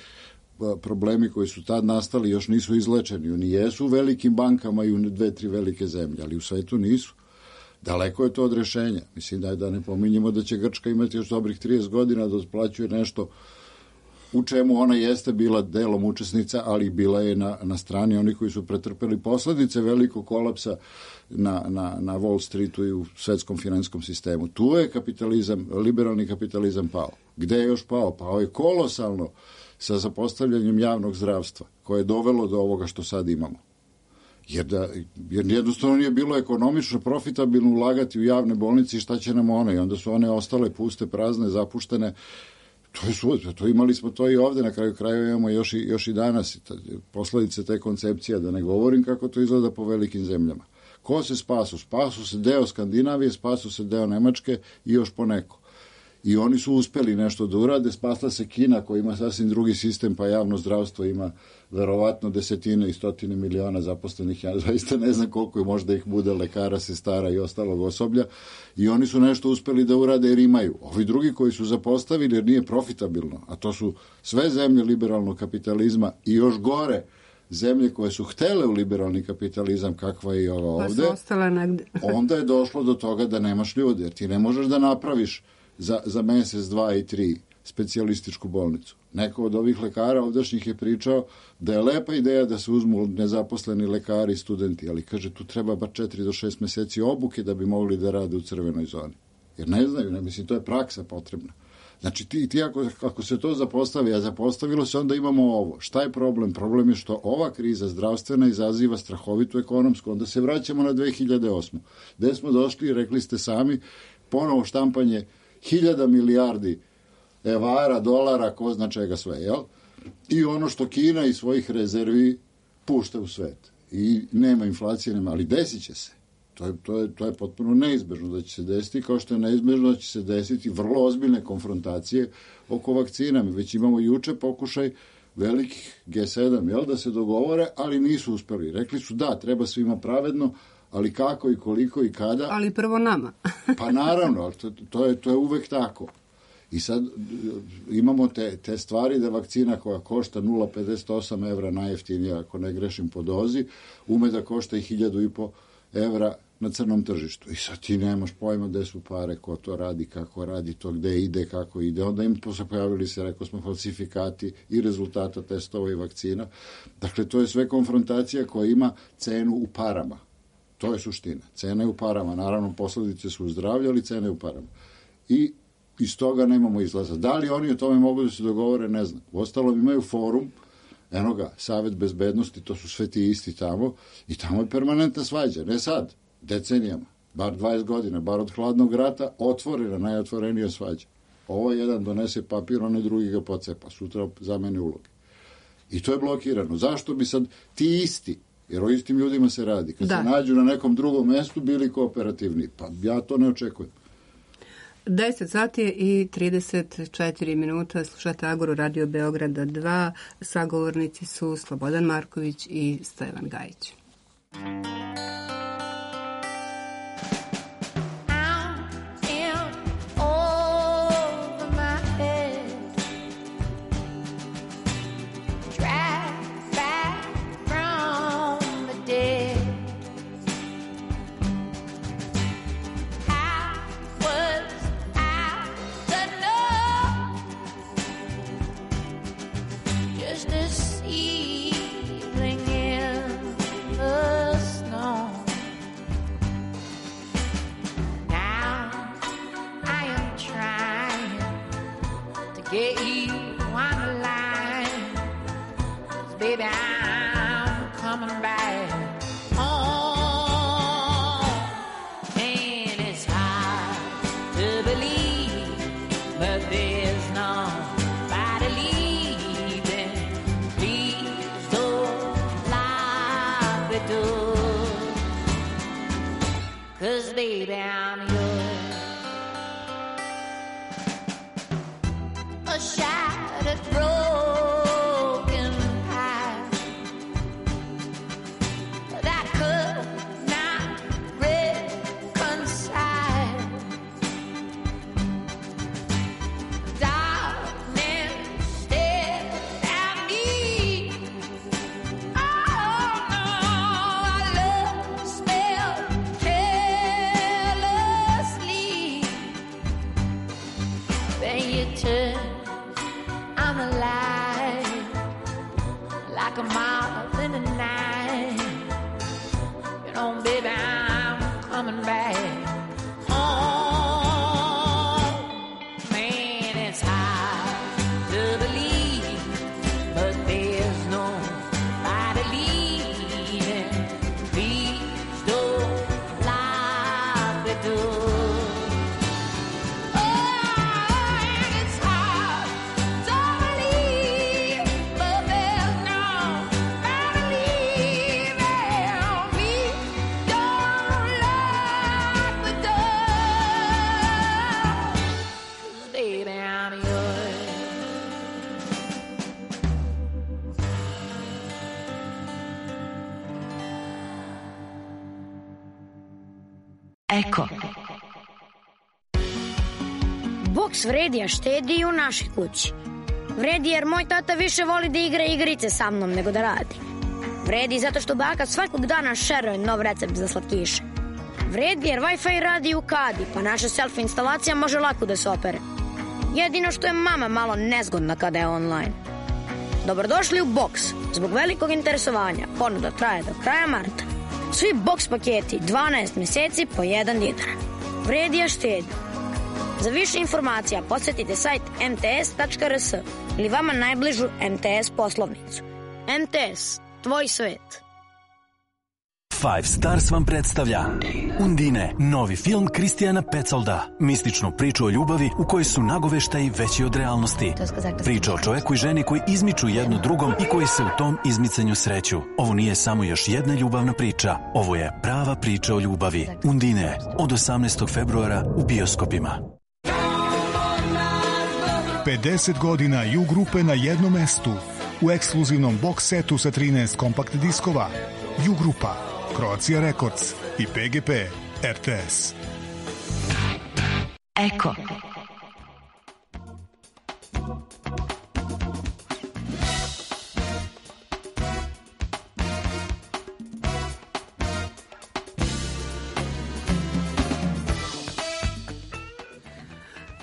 problemi koji su tad nastali još nisu izlečeni. Oni jesu u velikim bankama i u dve, tri velike zemlje, ali u svetu nisu. Daleko je to od rešenja. Mislim da, je, da ne pominjemo da će Grčka imati još dobrih trideset godina da otplaćuje nešto u čemu ona jeste bila delom učesnica, ali bila je na, na strani oni koji su pretrpeli posledice velikog kolapsa na, na, na Wall Streetu i u svetskom finansijskom sistemu. Tu je kapitalizam, liberalni kapitalizam pao. Gde je još pao? Pao je kolosalno sa zapostavljanjem javnog zdravstva, koje je dovelo do ovoga što sad imamo. Jer, da, jer jednostavno nije bilo ekonomično profitabilno ulagati u javne bolnice i šta će nam one? I onda su one ostale puste, prazne, zapuštene. To je sud, to imali smo to i ovde, na kraju krajeva imamo još i, još i danas posledice te koncepcije, da ne govorim kako to izgleda po velikim zemljama. Ko se spasu? Spasu se deo Skandinavije, spasu se deo Nemačke i još poneko. I oni su uspeli nešto da urade, spasla se Kina koja ima sasvim drugi sistem, pa javno zdravstvo ima verovatno desetine i stotine miliona zaposlenih, ja zaista ne znam koliko je, možda ih bude lekara, sestara i ostalog osoblja, i oni su nešto uspeli da urade jer imaju. Ovi drugi koji su zapostavili jer nije profitabilno, a to su sve zemlje liberalnog kapitalizma i još gore zemlje koje su htele u liberalni kapitalizam kakva je i ova ovde, onda je došlo do toga da nemaš ljudi, jer ti ne možeš da napraviš za, za mesec, dva i tri specijalističku bolnicu. Neko od ovih lekara ovdašnjih je pričao da je lepa ideja da se uzmu nezaposleni lekari i studenti, ali kaže tu treba bar četiri do šest meseci obuke da bi mogli da rade u crvenoj zoni. Jer ne znaju, ne mislim, to je praksa potrebna. Znači ti, ti ako, ako se to zapostavi, a zapostavilo se, onda imamo ovo. Šta je problem? Problem je što ova kriza zdravstvena izaziva strahovitu ekonomsku. Onda se vraćamo na dve hiljade osmu. Gde smo došli, rekli ste sami, ponovo štampanje hiljada milijardi evara, dolara, ko zna čega sve, jel? I ono što Kina iz svojih rezervi pušta u svet. I nema inflacije, nema, ali desit će se. To je, to, je, to je potpuno neizbežno da će se desiti, kao što je neizbežno da će se desiti vrlo ozbiljne konfrontacije oko vakcina. Mi već imamo juče pokušaj velikih G sedam, jel, da se dogovore, ali nisu uspeli. Rekli su da, treba svima pravedno, ali kako i koliko i kada. Ali prvo nama. Pa naravno, ali to, to, je, to je uvek tako. I sad imamo te, te stvari da vakcina koja košta nula zarez pedeset osam evra, najjeftinija, ako ne grešim po dozi, ume da košta i hiljadu i po evra na crnom tržištu. I sad ti nemaš pojma gde su pare, ko to radi, kako radi to, gde ide, kako ide. Onda im pojavili se, rekao smo, falsifikati i rezultata testova i vakcina. Dakle, to je sve konfrontacija koja ima cenu u parama. To je suština. Cena je u parama. Naravno, posledice su u zdravlju, ali cena je u parama. I iz toga nemamo izlaza. Da li oni o tome mogu da se dogovore, ne znam. Uostalom imaju forum, eno ga, Savet bezbednosti, to su sve ti isti tamo, i tamo je permanentna svađa. Ne sad, decenijama, bar dvadeset godina, bar od hladnog rata, otvorena, najotvorenija svađa. Ovo jedan donese papir, onaj drugi ga pocepa, sutra zamene uloge. I to je blokirano. Zašto bi sad ti isti, jer o istim ljudima se radi, kad da. se nađu na nekom drugom mestu, bili kooperativni? Pa ja to ne očekujem. deset sati i trideset četiri minuta, slušate Agoru Radio Beograda dva, sagovornici su Slobodan Marković i Stevan Gajić. Eko. Boks vredi, a štedi i u našoj kući. Vredi jer moj tata više voli da igra igrice sa mnom nego da radi. Vredi zato što baka svakog dana šeruje nov recept za slatkiše. Vredi jer Wi-Fi radi u kadi, pa naša selfie instalacija može lako da se opere. Jedino što je mama malo nezgodna kada je online. Dobrodošli u Boks. Zbog velikog interesovanja ponuda traje do kraja marta. Svi boks paketi dvanaest meseci po jedan dinar. Vredi, a štedi. Za više informacija posjetite sajt em te es tačka er es ili vama najbližu em te es poslovnicu. em te es, tvoj svet. Five Stars vam predstavlja Undine, novi film Kristijana Pecolda. Mističnu priču o ljubavi u kojoj su nagoveštaji veći od realnosti. Priča o čoveku i ženi koji izmiču jedno drugom i koji se u tom izmicanju sreću. Ovo nije samo još jedna ljubavna priča. Ovo je prava priča o ljubavi. Undine, od osamnaestog februara u bioskopima. pedeset godina ju grupe na jednom mestu. U ekskluzivnom box setu sa trinaest kompakt diskova. Ju grupa, Croatia Records i pe ge pe er te es. Eko.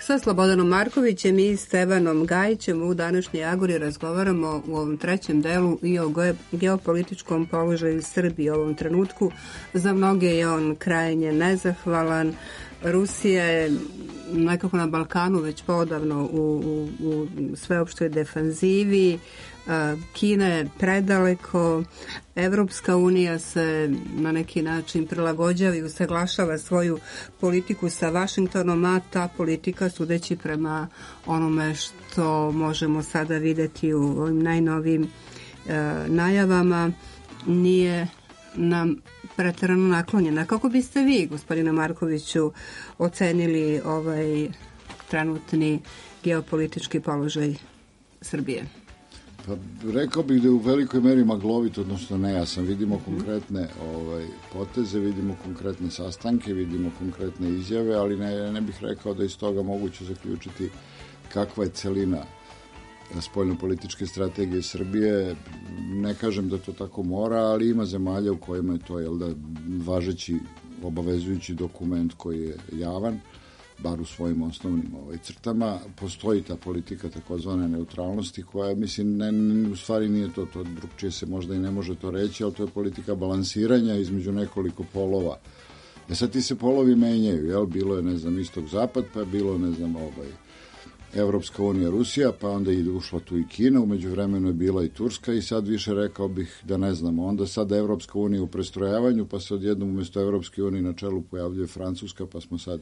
Sa Slobodanom Markovićem i Stevanom Gajićem u današnjoj Agori razgovaramo u ovom trećem delu i o geopolitičkom položaju Srbije u ovom trenutku. Za mnoge je on krajnje nezahvalan. Rusija je nekako na Balkanu već podavno u, u, u sveopštoj defanzivi, Kina je predaleko, Evropska unija se na neki način prilagođava i usaglašava svoju politiku sa Vašingtonom, a ta politika, sudeći prema onome što možemo sada videti u ovim najnovijim e, najavama, nije nam preterano naklonjena. Kako biste vi, gospodine Markoviću, ocenili ovaj trenutni geopolitički položaj Srbije? Pa rekao bih da je u velikoj meri maglovit, odnosno nejasan. Vidimo konkretne ovaj, poteze, vidimo konkretne sastanke, vidimo konkretne izjave, ali ne, ne bih rekao da iz toga moguće zaključiti kakva je celina spoljnopolitičke strategije Srbije. Ne kažem da to tako mora, ali ima zemalja u kojima je to, jel da, važeći, obavezujući dokument koji je javan, bar u svojim osnovnim ovaj, crtama. Postoji ta politika takozvane neutralnosti koja, mislim, ne, ne, u stvari nije to, to drugčije se možda i ne može to reći, ali to je politika balansiranja između nekoliko polova. E sad ti se polovi menjaju, jel? Bilo je, ne znam, istok-zapad, pa je bilo, ne znam, ovaj, Evropska unija, Rusija, pa onda je ušla tu i Kina, umeđu vremenu je bila i Turska i sad više rekao bih da ne znamo. Onda sada Evropska unija u prestrojavanju, pa se odjednom umjesto Evropske unije na čelu pojavljuje Francuska, pa smo sad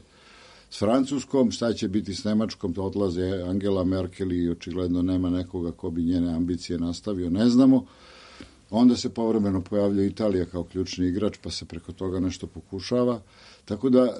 s Francuskom, šta će biti s Nemačkom, to odlaze Angela Merkel i očigledno nema nekoga ko bi njene ambicije nastavio, ne znamo. Onda se povremeno pojavljuje Italija kao ključni igrač, pa se preko toga nešto pokušava. Tako da,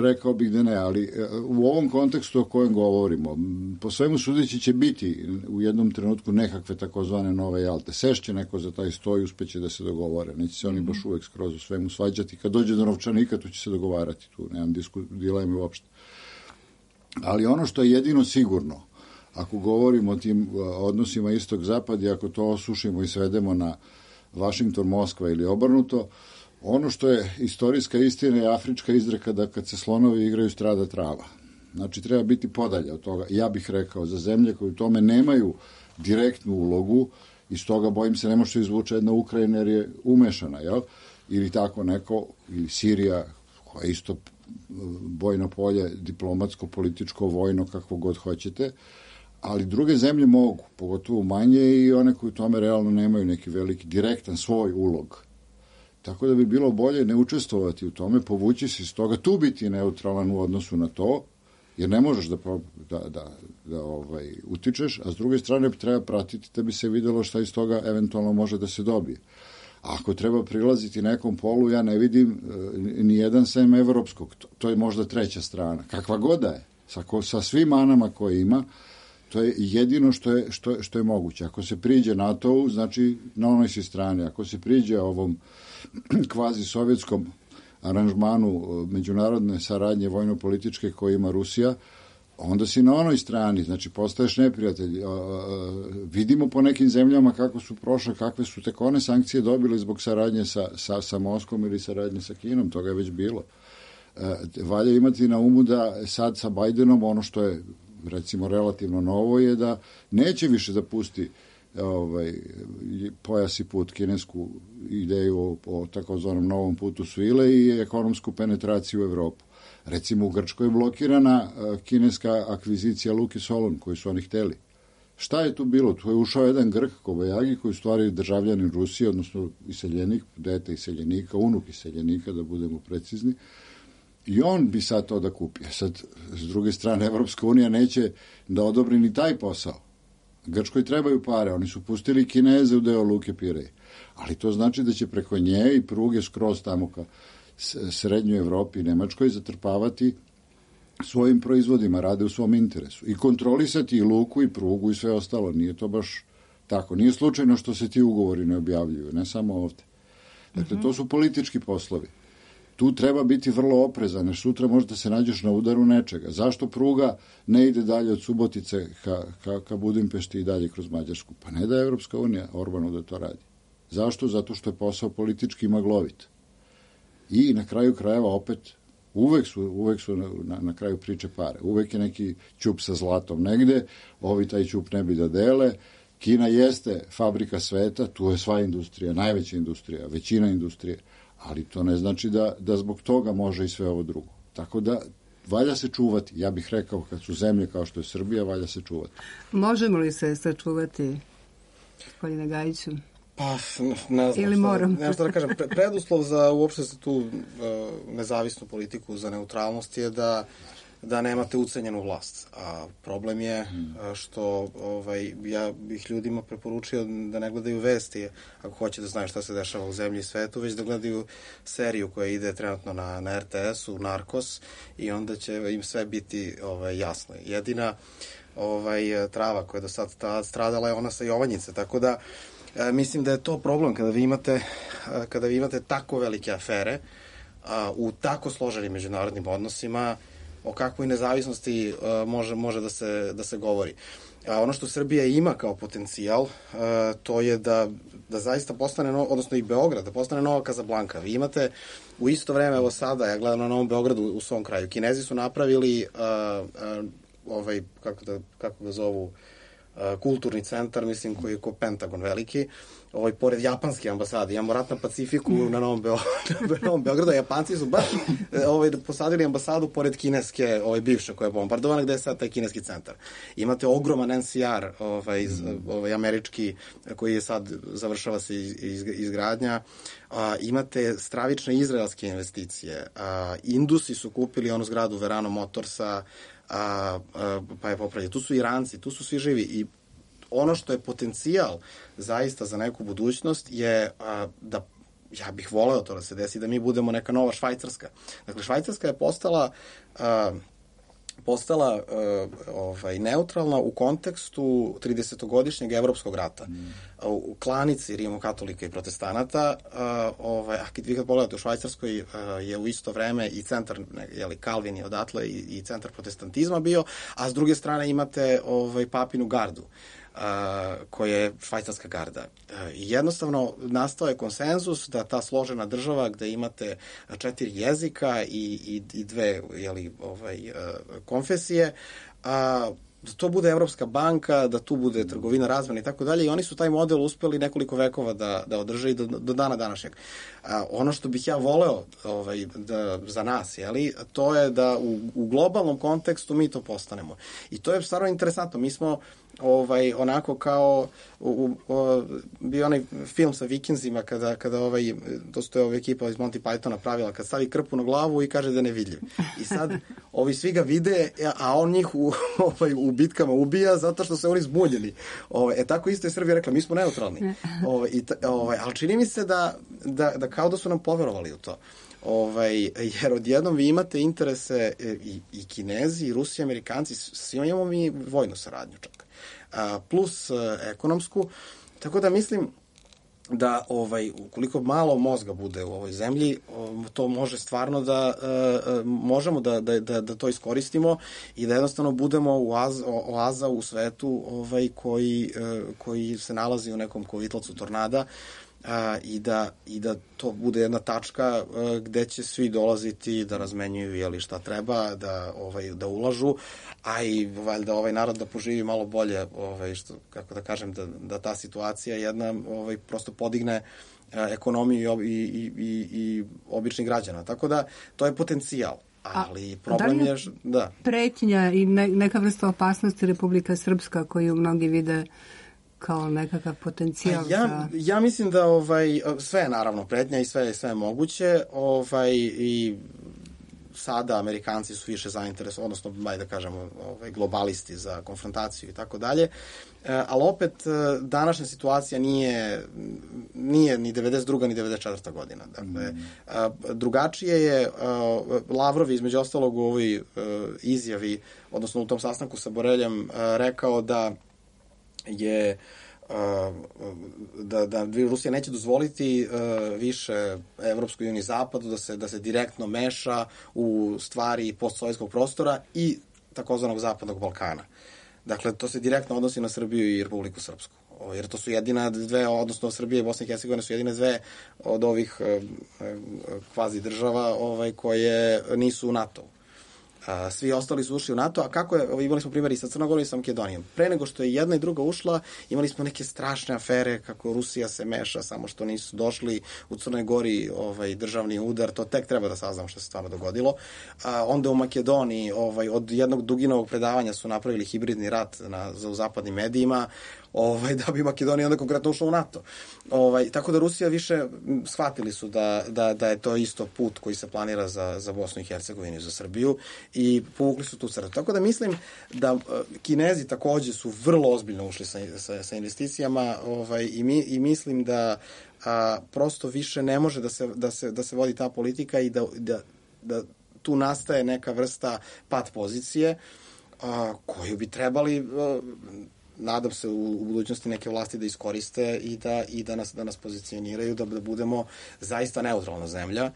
rekao bih da ne, ali u ovom kontekstu o kojem govorimo, po svemu sudeći će biti u jednom trenutku nekakve takozvane nove Jalte. Sešće neko za taj sto i uspeće da se dogovore. Neće se oni baš uvek skroz u svemu svađati. Kad dođe do novčanika, tu će se dogovarati. Tu nemam disku, dileme uopšte. Ali ono što je jedino sigurno, ako govorimo o tim odnosima istok-zapad i ako to osušimo i svedemo na Vašington, Moskva ili obrnuto, ono što je istorijska istina je afrička izreka da kad se slonovi igraju strada trava. Znači treba biti podalje od toga. Ja bih rekao za zemlje koje u tome nemaju direktnu ulogu i stoga bojim se ne može izvuče jedna Ukrajina jer je umešana, jel? Ili tako neko, ili Sirija koja je isto bojno polje, diplomatsko, političko, vojno, kakvo god hoćete, ali druge zemlje mogu, pogotovo manje i one koje u tome realno nemaju neki veliki, direktan svoj ulog. Tako da bi bilo bolje ne učestvovati u tome, povući se iz toga, tu biti neutralan u odnosu na to, jer ne možeš da, da, da, da ovaj, utičeš, a s druge strane treba pratiti da bi se videlo šta iz toga eventualno može da se dobije. A ako treba prilaziti nekom polu, ja ne vidim e, ni jedan sem evropskog, to, to je možda treća strana. Kakva god da je, sa, ko, sa svim manama koje ima, to je jedino što je, što, što je moguće. Ako se priđe NATO-u, znači na onoj si strani. Ako se priđe ovom kvazi sovjetskom aranžmanu međunarodne saradnje vojno-političke koje ima Rusija, onda si na onoj strani, znači postaješ neprijatelj. Vidimo po nekim zemljama kako su prošle, kakve su tek one sankcije dobile zbog saradnje sa, sa, sa Moskvom ili saradnje sa Kinom, toga je već bilo. Valja imati na umu da sad sa Bajdenom ono što je recimo relativno novo je da neće više da pusti ovaj, pojas i put, kinesku ideju o, o takozvanom novom putu svile i ekonomsku penetraciju u Evropu. Recimo u Grčkoj je blokirana kineska akvizicija Luke Solon koju su oni hteli. Šta je tu bilo? Tu je ušao jedan Grk, Kobajagi, koji je u stvari državljanin Rusije, odnosno iseljenik, dete iseljenika, unuk iseljenika, da budemo precizni. I on bi sad to da kupi. Sad, s druge strane, Evropska unija neće da odobri ni taj posao. Grčkoj trebaju pare. Oni su pustili Kineze u deo Luke Pirej. Ali to znači da će preko nje i pruge skroz tamo ka srednjoj Evropi i Nemačkoj zatrpavati svojim proizvodima, rade u svom interesu. I kontrolisati i luku i prugu i sve ostalo. Nije to baš tako. Nije slučajno što se ti ugovori ne objavljuju, ne samo ovde. Dakle, to su politički poslovi. Tu treba biti vrlo oprezan, jer sutra možda se nađeš na udaru nečega. Zašto pruga ne ide dalje od Subotice ka, ka, ka Budimpešti i dalje kroz Mađarsku? Pa ne da je Evropska unija Orbanu da to radi. Zašto? Zato što je posao politički maglovit. I na kraju krajeva opet uvek su, uvek su na, na kraju priče pare. Uvek je neki ćup sa zlatom negde, ovi taj ćup ne bi da dele. Kina jeste fabrika sveta, tu je sva industrija, najveća industrija, većina industrije. Ali to ne znači da, da zbog toga može i sve ovo drugo. Tako da valja se čuvati. Ja bih rekao, kad su zemlje kao što je Srbija, valja se čuvati. Možemo li se sačuvati, gospodine Gajiću? Pa, ne znam. Ili moram? Ne znam što da kažem. Preduslov za uopšte za tu uh, nezavisnu politiku, za neutralnost je da da nemate ucenjenu vlast. A problem je hmm. što ovaj, ja bih ljudima preporučio da ne gledaju vesti ako hoće da znaju šta se dešava u zemlji i svetu, već da gledaju seriju koja ide trenutno na, na R T S-u, Narkos, i onda će im sve biti ovaj, jasno. Jedina ovaj, trava koja je do sad stradala je ona sa Jovanjice, tako da e, mislim da je to problem kada vi imate, kada vi imate tako velike afere a, u tako složenim međunarodnim odnosima, o kakvoj nezavisnosti uh, može, može da se, da se govori. A ono što Srbija ima kao potencijal, uh, to je da, da zaista postane, no, odnosno i Beograd, da postane nova Kazablanka. Vi imate u isto vreme, evo sada, ja gledam na Novom Beogradu u svom kraju, Kinezi su napravili uh, uh, ovaj, kako, da, kako ga zovu, uh, kulturni centar, mislim, koji je ko Pentagon veliki, ovaj, pored japanske ambasade. Imamo rat na Pacifiku na Novom, Beo, na Novom Beogradu. Japanci su baš ovaj, posadili ambasadu pored kineske, ovaj, bivše koja je bombardovana, gde je sad taj kineski centar. Imate ogroman N C R, ovaj, ovaj, američki, koji je sad završava se iz, iz, izgradnja. A, imate stravične izraelske investicije. A, Indusi su kupili onu zgradu Verano Motorsa, a, a, pa je popravljeno. Tu su Iranci, tu su svi živi i ono što je potencijal zaista za neku budućnost je a, da, ja bih voleo to da se desi, da mi budemo neka nova Švajcarska. Dakle, Švajcarska je postala a, postala a, ovaj, neutralna u kontekstu tridesetogodišnjeg evropskog rata. Mm. U klanici rimokatolika i protestanata, a, ovaj, a kad vi kad pogledate u Švajcarskoj a, je u isto vreme i centar, jeli, Kalvin je odatle i, i centar protestantizma bio, a s druge strane imate ovaj, papinu gardu. Uh, koja je švajcarska garda. Uh, jednostavno nastao je konsenzus da ta složena država gde imate četiri jezika i, i, i dve jeli, ovaj, uh, konfesije, a uh, da to bude Evropska banka, da tu bude trgovina, razmena i tako dalje, i oni su taj model uspeli nekoliko vekova da, da održe i do, do dana današnjeg. A, ono što bih ja voleo ovaj, da, za nas, jeli, to je da u, u globalnom kontekstu mi to postanemo. I to je stvarno interesantno. Mi smo ovaj, onako kao u, u, u, bio onaj film sa Vikinzima kada, kada ovaj, to su to je ova ekipa iz Monty Pythona pravila, kad stavi krpu na glavu i kaže da je nevidljiv. I sad ovi svi ga vide, a on njih u, ovaj, u bitkama ubija zato što se oni zbunjeni. Ovaj, e tako isto je Srbija rekla, mi smo neutralni. Ovaj, i, ovaj, ali čini mi se da, da, da kao da su nam poverovali u to. Ovaj, jer odjednom vi imate interese i, i Kinezi, i Rusi, i Amerikanci, svima imamo mi vojnu saradnju čak. A, plus a, ekonomsku, tako da mislim da ovaj ukoliko malo mozga bude u ovoj zemlji, to može stvarno da uh, možemo da, da, da, da to iskoristimo i da jednostavno budemo oaz, oaza u svetu ovaj koji, uh, koji se nalazi u nekom kovitlacu tornada, uh, i, da, i da to bude jedna tačka uh, gde će svi dolaziti da razmenjuju jeli šta treba, da, ovaj, da ulažu, a i valjda ovaj narod da poživi malo bolje, ovaj, što, kako da kažem, da, da ta situacija jedna ovaj, prosto podigne a, ekonomiju i, i, i, i običnih građana. Tako da, to je potencijal. Ali a, problem da je, je da. Pretnja i ne, neka vrsta opasnosti Republika Srpska koju mnogi vide kao nekakav potencijal? Ja, za... ja mislim da ovaj, sve je naravno pretnja i sve, sve je moguće. Ovaj, i sada Amerikanci su više zainteresovani, odnosno, baj da kažemo, ovaj, globalisti za konfrontaciju i tako dalje. Ali opet, današnja situacija nije, nije ni devedeset druga ni devedeset četvrta godina. Dakle, mm. drugačije je, Lavrov između ostalog u ovoj izjavi, odnosno u tom sastanku sa Boreljem, rekao da je da, da Rusija neće dozvoliti uh, više Evropskoj uniji zapadu da se, da se direktno meša u stvari postsovjetskog prostora i takozvanog zapadnog Balkana. Dakle, to se direktno odnosi na Srbiju i Republiku Srpsku. Jer to su jedina dve, odnosno Srbija i Bosna i Hercegovina su jedine dve od ovih uh, kvazi država ovaj, koje nisu u NATO-u. A, svi ostali su ušli u NATO, a kako je, imali smo primjer i sa Crnogorom i sa Makedonijom. Pre nego što je jedna i druga ušla, imali smo neke strašne afere kako Rusija se meša, samo što nisu došli u Crnoj Gori ovaj, državni udar, to tek treba da saznam što se stvarno dogodilo. A, onda u Makedoniji ovaj, od jednog duginovog predavanja su napravili hibridni rat na, za, u zapadnim medijima, ovaj, da bi Makedonija onda konkretno ušla u NATO. Ovaj, tako da Rusija više shvatili su da, da, da je to isto put koji se planira za, za Bosnu i Hercegovinu i za Srbiju i povukli su tu crtu. Tako da mislim da uh, Kinezi takođe su vrlo ozbiljno ušli sa, sa, sa investicijama ovaj, i, mi, i mislim da a, prosto više ne može da se, da se, da se vodi ta politika i da, da, da tu nastaje neka vrsta pat pozicije a, koju bi trebali a, nadam se u, u budućnosti neke vlasti da iskoriste i da, i da, nas, da nas pozicioniraju, da, da budemo zaista neutralna zemlja,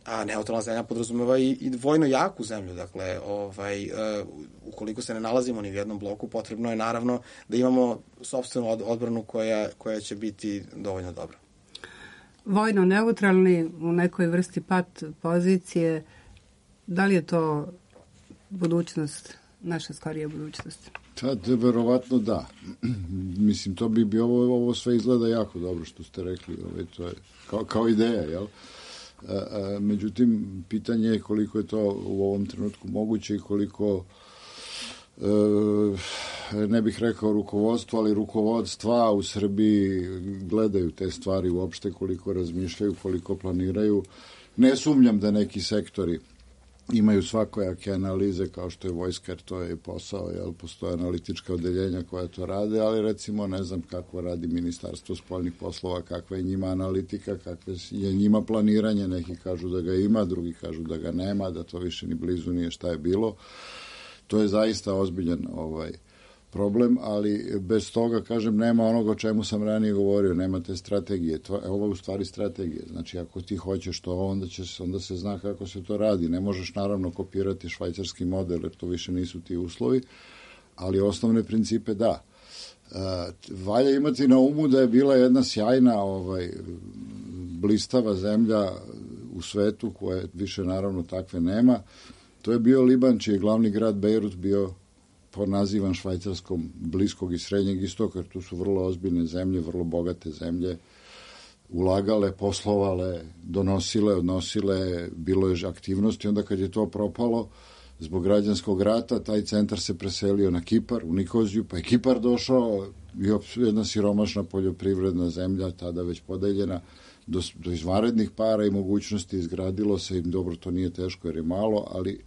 a neutralna zemlja podrazumeva i, i vojno jaku zemlju, dakle, ovaj, uh, ukoliko se ne nalazimo ni u jednom bloku, potrebno je naravno da imamo sopstvenu od, odbranu koja, koja će biti dovoljno dobra. Vojno neutralni u nekoj vrsti pat pozicije, da li je to budućnost, naša skorija budućnost? Tad, verovatno da. Mislim, to bi, bi ovo, ovo sve izgleda jako dobro što ste rekli. Ove, to je kao, kao ideja, jel? A, a, međutim, pitanje je koliko je to u ovom trenutku moguće i koliko e, ne bih rekao rukovodstvo, ali rukovodstva u Srbiji gledaju te stvari uopšte, koliko razmišljaju, koliko planiraju. Ne sumnjam da neki sektori imaju svakojake analize kao što je vojska, jer to je posao, jel, postoje analitička odeljenja koja to rade, ali recimo ne znam kako radi Ministarstvo spoljnih poslova, kakva je njima analitika, kakve je njima planiranje, neki kažu da ga ima, drugi kažu da ga nema, da to više ni blizu nije šta je bilo. To je zaista ozbiljan ovaj problem, ali bez toga, kažem, nema onoga o čemu sam ranije govorio, nema te strategije. To je ovo u stvari strategija. Znači, ako ti hoćeš to, onda, će, onda se zna kako se to radi. Ne možeš, naravno, kopirati švajcarski model, jer to više nisu ti uslovi, ali osnovne principe da. Uh, valja imati na umu da je bila jedna sjajna ovaj, blistava zemlja u svetu, koja više, naravno, takve nema. To je bio Liban, čiji je glavni grad Bejrut bio ponazivan Švajcarskom bliskog i srednjeg istoka, jer tu su vrlo ozbiljne zemlje, vrlo bogate zemlje, ulagale, poslovale, donosile, odnosile, bilo je aktivnosti. Onda kad je to propalo, zbog građanskog rata, taj centar se preselio na Kipar, u Nikoziju, pa je Kipar došao, jedna siromašna poljoprivredna zemlja, tada već podeljena, do, do izvanrednih para i mogućnosti izgradilo se, im dobro, to nije teško jer je malo, ali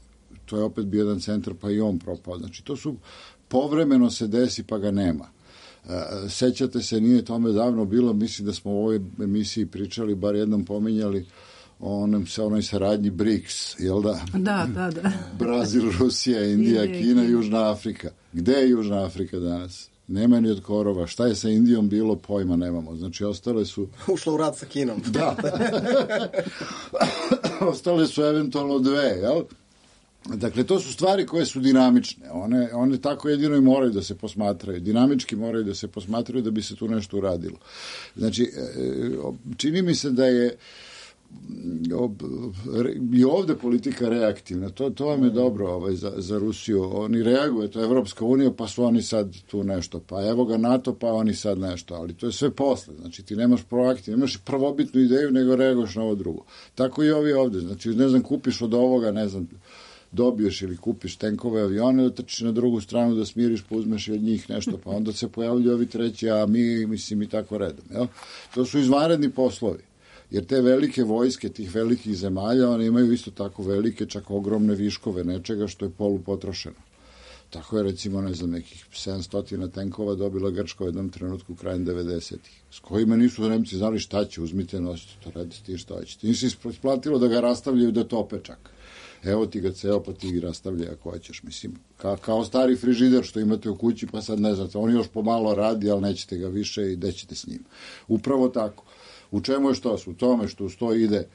to je opet bio jedan centar, pa i on propao. Znači, to su, povremeno se desi, pa ga nema. E, sećate se, nije tome davno bilo, mislim da smo u ovoj emisiji pričali, bar jednom pominjali, o onom, onoj saradnji BRICS, jel da? Da, da, da. Brazil, Rusija, Indija, Indija Kina, Južna Afrika. Gde je Južna Afrika danas? Nema ni od korova. Šta je sa Indijom bilo, pojma nemamo. Znači, ostale su... Ušla u rat sa Kinom. Da. Ostale su eventualno dve, jel? Dakle, to su stvari koje su dinamične. One, one tako jedino i moraju da se posmatraju. Dinamički moraju da se posmatraju da bi se tu nešto uradilo. Znači, čini mi se da je i ovde politika reaktivna. To, to vam je dobro ovaj, za, za Rusiju. Oni reaguju, to je Evropska unija, pa su oni sad tu nešto. Pa evo ga NATO, pa oni sad nešto. Ali to je sve posle. Znači, ti nemaš proaktivno, nemaš prvobitnu ideju, nego reaguješ na ovo drugo. Tako i ovi ovde. Znači, ne znam, kupiš od ovoga, ne znam, dobiješ ili kupiš tenkove, avione, da trčiš na drugu stranu, da smiriš, pa uzmeš i od njih nešto, pa onda se pojavljuju ovi treći, a mi, mislim, i tako redom. Jel? To su izvanredni poslovi. Jer te velike vojske, tih velikih zemalja, one imaju isto tako velike, čak ogromne viškove nečega što je polupotrošeno. Tako je, recimo, ne znam, nekih sedamsto tenkova dobila Grčka u jednom trenutku krajem devedesetih, s kojima nisu Nemci znali šta će, uzmite, nosite, to radite ti šta ćete. Nisi isplatilo da ga rastavljaju, da tope čak. Evo ti ga ceo, pa ti ga rastavljaj ako hoćeš, mislim, ka, kao stari frižider što imate u kući, pa sad ne znate, on još pomalo radi, ali nećete ga više i dećete s njim. Upravo tako. U čemu je što? U tome što uz to ide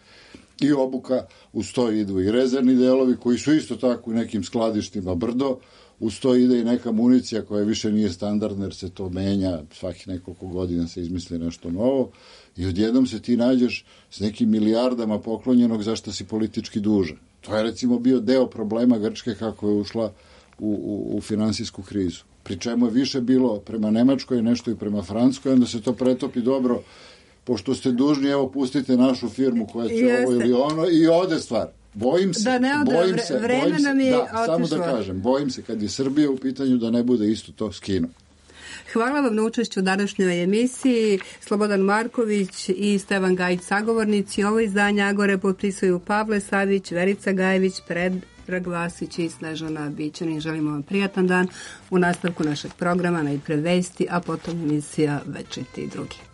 i obuka, uz to idu i rezervni delovi, koji su isto tako u nekim skladištima brdo, uz to ide i neka municija koja više nije standardna, jer se to menja, svakih nekoliko godina se izmisli nešto novo, i odjednom se ti nađeš s nekim milijardama poklonjenog za što si politički dužan. To je recimo bio deo problema Grčke kako je ušla u, u, u finansijsku krizu. Pri čemu je više bilo prema Nemačkoj, nešto i prema Francuskoj, onda se to pretopi dobro, pošto ste dužni, evo pustite našu firmu koja će ovo ili ono i ode stvar. Bojim se, da ne ode, bojim se, vreme bojim se, nam je da, otišlo. samo da kažem, bojim se kad je Srbija u pitanju da ne bude isto to s Kinom. Hvala vam na učešću u današnjoj emisiji. Slobodan Marković i Stevan Gajić sagovornici. Ovo izdanje Agore potpisuju Pavle Savić, Verica Gajević, Predrag Vasić i Snežana Bićanin. Želimo vam prijatan dan u nastavku našeg programa, najpre vesti, a potom emisija Večiti i drugi.